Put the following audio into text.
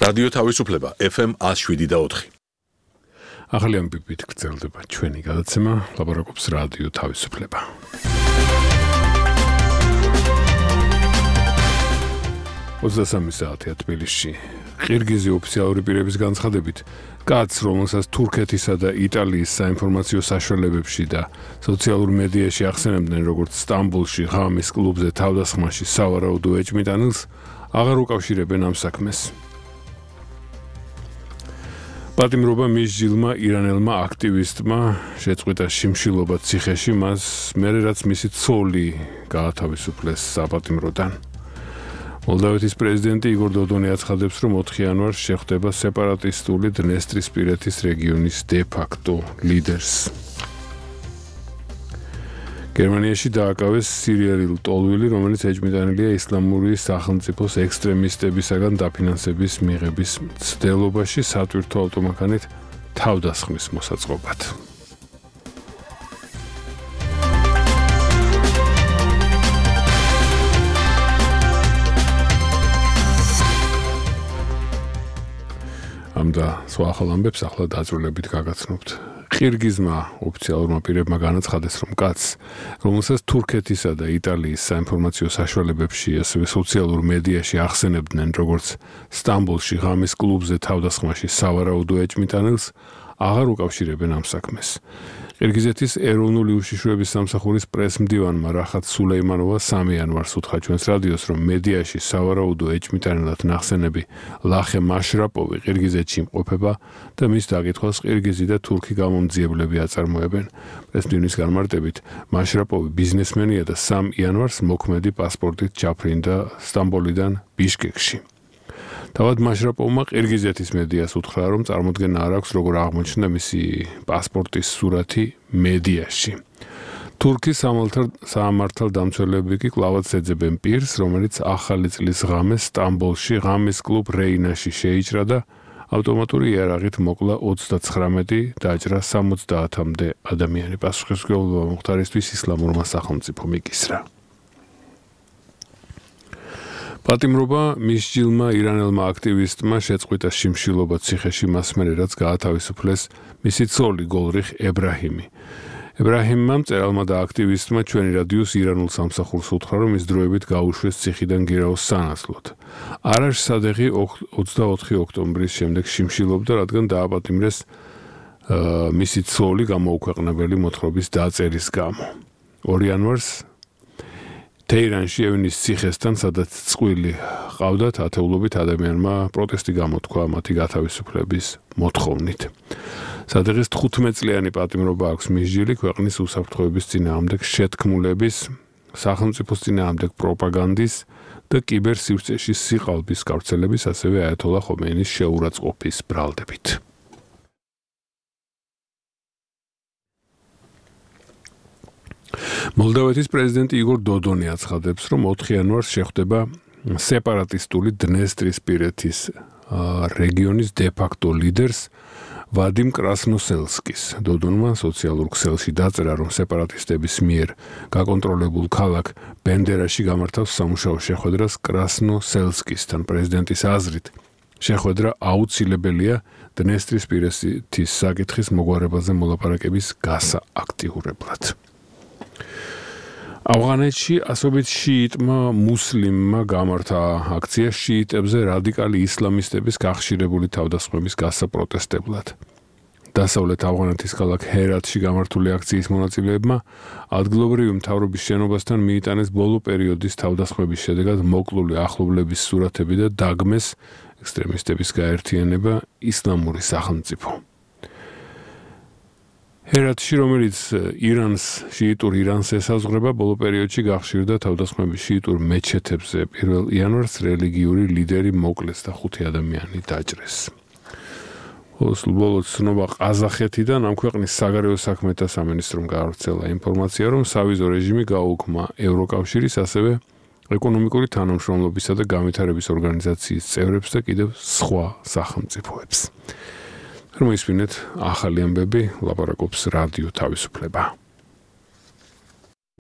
რადიო თავისუფლება FM 107.4. ახალი ამბებით გრძელდება ჩვენი გადაცემა, ლაპარაკობს რადიო თავისუფლება. საათია თბილისში. ყირგიზი ოფიციალური პირების განცხადებით, კაცს, რომელსაც თურქეთისა და იტალიის საინფორმაციო საშუალებებში და სოციალურ მედიაში ახსენებდნენ როგორც სტამბოლში ღამის კლუბზე თავდასხმაში სავარაუდო ეჭვმიტანილს, აღარ უკავშირებენ ამ საქმეს. პატიმრობა მისჯილმა ირანელმა აქტივისტმა შეწყვიტა შიმშილობა ციხეში, მას მერე რაც მისი ცოლი გაათავისუფლეს საპატიმროდან. მოლდავეთის პრეზიდენტი იგორ დოდონი აცხადებს, რომ 4 იანვარს შეხვდება სეპარატისტული დნესტრისპირეთის რეგიონის დე-ფაქტო ლიდერს. გერმანიაში დააკავეს სირიელი ლტოლვილი, რომელიც ეჭვმიტანილია ისლამური სახელმწიფოს ექსტრემისტებისაგან დაფინანსების მიღების მცდელობაში სატვირთო ავტომანქანით თავდასხმის მოსაწყობად. და სხვა ახალ ამბებს ახლა დაწვრილებით გაგაცნობთ. ყირგიზმა ოფიციალურმა პირებმა განაცხადეს, რომ კაცს, რომელსაც თურქეთისა და იტალიის საინფორმაციო საშუალებებში, ასევე სოციალურ მედიაში ახსენებდნენ როგორც სტამბოლში ღამის კლუბზე თავდასხმაში სავარაუდო ეჭვმიტანილს, აღარ უკავშირებენ ამ საქმეს. ყირგიზეთის ეროვნული უშიშროების სამსახურის პრესმდივანმა რახათ სულეიმანოვა 3 იანვარს უთხრა ჩვენს რადიოს, რომ მედიაში სავარაუდო ეჭვმიტანილად ნახსენები ლახე მაშრაპოვი ყირგიზეთში იმყოფება და მის დაკითხვას ყირგიზი და თურქი გამომძიებლები აწარმოებენ. პრესმდივნის განმარტებით, მაშრაპოვი ბიზნესმენია და 3 იანვარს მოქმედი პასპორტით ჩაფრინდა სტამბოლიდან ბიშკეკში. თავად მაშრაპოვმა ყირგიზეთის მედიას უთხრა, რომ წარმოდგენა არ აქვს, როგორ აღმოჩნდა მისი პასპორტის სურათი მედიაში. თურქის სამართალდამცველები კი კვლავაც ეძებენ პირს, რომელიც ახალი წლის ღამეს სტამბოლში ღამის კლუბ რეინაში შეიჭრა და ავტომატური იარაღით მოკლა 39, დაჭრა 70-მდე ადამიანი. პასუხისმგებლობა მომხდარისთვის ისლამურმა სახელმწიფომ იკისრა. პატიმრობა მისჯილმა ირანელმა აქტივისტმა შეწყვიტა შიმშილობა ციხეში, მას მერე რაც გაათავისუფლეს მისი ცოლი გოლრიხ ებრაჰიმი. ებრაჰიმმა მწერალმა და აქტივისტმა ჩვენი რადიოს ირანულ სამსახურს უთხრა, რომ ის დროებით გაუშვეს ციხიდან გირაოს სანაცვლოდ. არაშ სადეღი 24 ოქტომბრის შემდეგ შიმშილობდა, რადგან დააპატიმრეს მისი ცოლი გამოუქვეყნებელი მოთხრობის დაწერის გამო. 2 იანვარს თეირანში ევნის ციხესთან, სადაც წყვილი ყავდათ, ათეულობით ადამიანმა პროტესტი გამოთქვა მათი გათავისუფლების მოთხოვნით. სადეღის 15 წლიანი პატიმრობა აქვს მისჯილი ქვეყნის უსაფრთხოების წინააღმდეგ შეთქმულების, სახელმწიფოს წინააღმდეგ პროპაგანდის და კიბერსივრცეში სიყალბის გავრცელების, ასევე აიათოლა ხომეინის შეურაცხყოფის ბრალდებით. მოლდავეთის პრეზიდენტი იგორ დოდონი აცხადებს, რომ 4 იანვარს შეხვდება სეპარატისტული დნესტრისპირეთის რეგიონის დე-ფაქტო ლიდერს ვადიმ კრასნოსელსკის. დოდონმა სოციალურ ქსელში დაწერა, რომ სეპარატისტების მიერ გაკონტროლებულ ქალაქ ბენდერაში გამართავს სამუშაო შეხვედრას კრასნოსელსკისთან. პრეზიდენტის აზრით, შეხვედრა აუცილებელია დნესტრისპირეთის საკითხის მოგვარებაზე მოლაპარაკების გასააქტიურებლად. ავღანეთში ასობით შიიტმა მუსლიმმა გამართა აქცია შიიტებზე რადიკალი ისლამისტების გახშირებული თავდასხმების გასაპროტესტებლად. დასავლეთ ავღანეთის ქალაქ ჰერათში გამართული აქციის მონაწილეებმა ადგილობრივი მთავრობის შენობასთან მიიტანეს ბოლო პერიოდის თავდასხმების შედეგად მოკლული ახლობლების სურათები და დაგმეს ექსტრემისტების გაერთიანება ისლამური სახელმწიფო. ჰერათში, რომელიც შიიტურ ირანს ესაზღვრება, ბოლო პერიოდში გახშირდა თავდასხმები შიიტურ მეჩეთებზე. 1 იანვარს რელიგიური ლიდერი მოკლეს და 5 ადამიანი დაჭრეს. ბოლოს ცნობა ყაზახეთიდან ამ ქვეყნის საგარეო საქმეთა სამინისტრომ გაავრცელა ინფორმაცია, რომ სავიზო რეჟიმი გაუქმა ევროკავშირის, ასევე ეკონომიკური თანამშრომლობისა და განვითარების ორგანიზაციის წევრებს და კიდევ სხვა სახელმწიფოებს. რომ ისმინეთ ახალი ამბები, ლაპარაკობს რადიო თავისუფლება.